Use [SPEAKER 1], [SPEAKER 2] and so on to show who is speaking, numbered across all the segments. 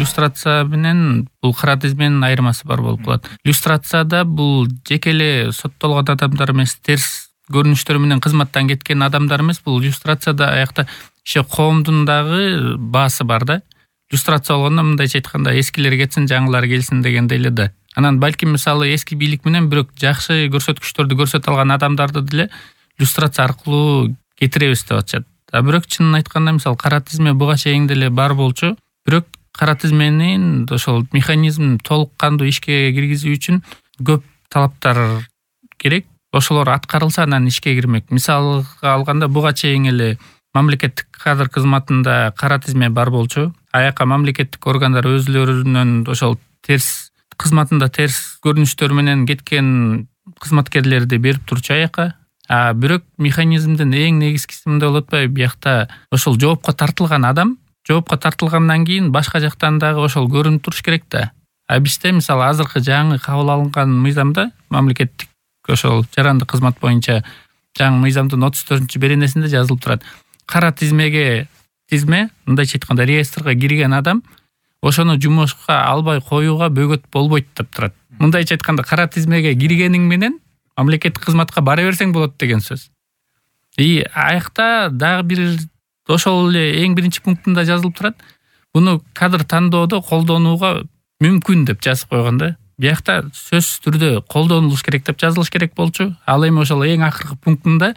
[SPEAKER 1] Иллюстрация менен бул кара тизменин айырмасы бар болуп калат. Иллюстрацияда бул жеке эле соттолгон адамдар эмес, терс көрүнүштөр менен кызматтан кеткен адамдар эмес, бул иллюстрацияда аякта иши коомдун дагы баасы бар да. Иллюстрация болгондо мындайча айтканда эскилер кетсин, жаңылар келсин дегендей эле да. Анан балким мисалы эски бийлик менен бирок жакшы көрсөткүчтөрдү көрсөтө алган адамдарды деле иллюстрация аркылуу кетиребиз деп атышат. Бирок чынын айтканда мисалы кара тизме буга чейин деле бар болчу. Бирок кара тизменин ошол механизмин толук кандуу ишке киргизүү үчүн көп талаптар керек. Ошолор аткарылса анан ишке кирмек. Мисалга алганда буга чейин эле мамлекеттик кадр кызматында кара тизме бар болчу. Аяка мамлекеттик органдар өзлөрүнүн ошол терс кызматында терс көрүнүштөр менен кеткен кызматкерлерди берип турчу аяка. Бирок механизмдин эң негизгиси мындай болуп атпайбы? Биякта ошол жоопко тартылган адам, жоопко тартылгандан кийин башка жактан дагы ошол көрүнүп туруш керек да. Бизде мисалы азыркы жаңы кабыл алынган мыйзамда мамлекеттик ошол жарандык кызмат боюнча жаңы мыйзамдын 34-беренесинде жазылып турат. Кара тизме мындайча айтканда реестрге кирген адам ошону жумушка албай коюуга бөгөт болбойт деп турат. Мындайча айтканда кара тизмеге киргениң менен мамлекеттик кызматка бара берсең болот деген сөз. Аякта дагы бир ошол эле эң биринчи пунктунда жазылып турат. Буну кадр тандоодо колдонууга мүмкүн деп жазып койгон да. Биякта сөзсүз түрдө колдонулуш керек деп жазылыш керек болчу. Ал эми ошол эң акыркы пунктунда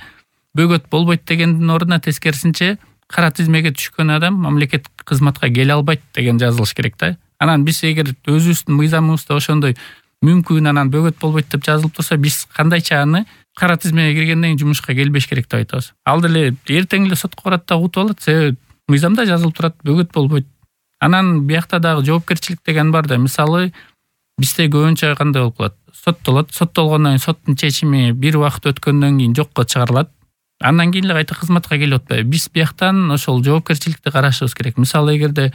[SPEAKER 1] бөгөт болбойт дегендин ордуна тескерисинче кара тизмеге түшкөн адам мамлекеттик кызматка келе албайт деген жазылыш керек да. Анан биз эгер өзүбүздүн мыйзамыбызда ошондой мүмкүн анан бөгөт болбойт деп жазылып турса, биз кандайча аны кара тизмеге киргенден кийин жумушка келбеш керек деп айтабыз. Ал деле эртең эле сотко барат да утуп алат, себеби мыйзамда жазылып турат, бөгөт болбойт. Анан биякта дагы жоопкерчилик деген бар да. Мисалы бизде көбүнчө кандай болуп калат? Соттолот, соттолгондон кийин соттун чечими бир убакыт өткөндөн кийин жокко чыгарылат. Андан кийин эле кайта кызматка келип атпайбы. Биз бияктан ошол жоопкерчиликти карашыбыз керек. Мисалы эгерде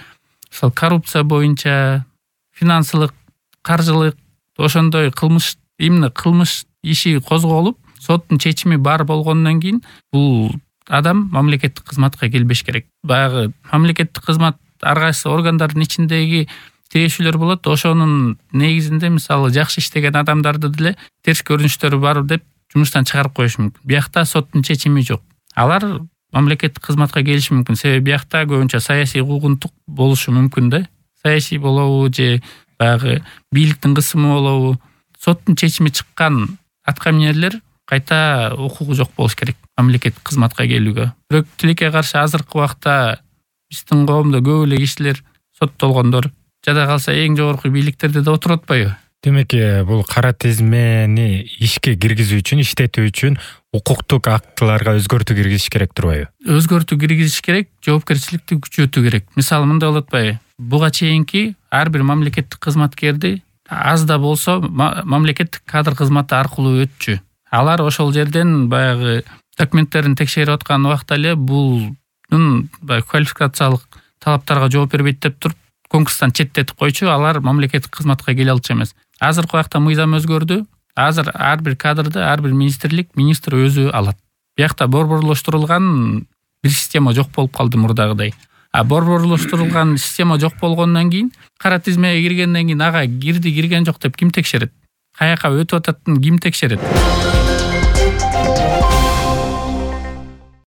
[SPEAKER 1] ошол коррупция боюнча, финансылык, каржылык ошондой кылмыш иши козголуп, соттун чечими бар болгондон кийин бул адам мамлекеттик кызматка келбеш керек. Баягы мамлекеттик кызмат ар кайсы органдардын ичиндеги тирешүүлөр болот. Ошонун негизинде мисалы жакшы иштеген адамдарды деле терс көрүнүштөрү бар деп жумуштан чыгарып коюш мүмкүн. Биякта соттун чечими жок. Алар мамлекеттик кызматка келиши мүмкүн. Себеби биякта көбүнчө саясий куугунтук болушу мүмкүн да. Саясий болобу же баягы бийликтин кысымы болобу. Соттун чечими чыккан аткаминерлер кайта укугу жок болуш керек мамлекеттик кызматка келүүгө. Бирок тилекке каршы азыркы убакта биздин коомдо көп эле кишилер соттолгондор, жада калса эң жогорку бийликтерде да отуруп атпайбы?
[SPEAKER 2] Демек, бул кара тизмени ишке киргизүү үчүн, иштетүү үчүн укуктук актыларга өзгөртүү киргизиш керек турбайбы? Өзгөртүү
[SPEAKER 1] киргизиш керек, жоопкерчиликти күчөтүү керек. Мисалы мындай болуп атпайбы? Буга чейинки ар бир мамлекеттик кызматкерди аз да болсо мамлекеттик кадр кызматы аркылуу өтчү. Алар ошол жерден баягы документтерин текшерип аткан убакта эле булдун квалификациялык талаптарга жооп бербейт деп туруп конкурстан четтетип койчу. Алар мамлекеттик кызматка келе алчу эмес. Азыркы убакта мыйзам өзгөрдү. Азыр ар бир кадрды ар бир министр өзү алат. Биякта борборлоштурулган бир система жок болуп калды мурдагыдай. Борборлоштурулган система жок болгондон кийин кара тизмеге киргенден кийин ага кирген жок деп ким текшерет? Каяка өтүп ататтын ким текшерет?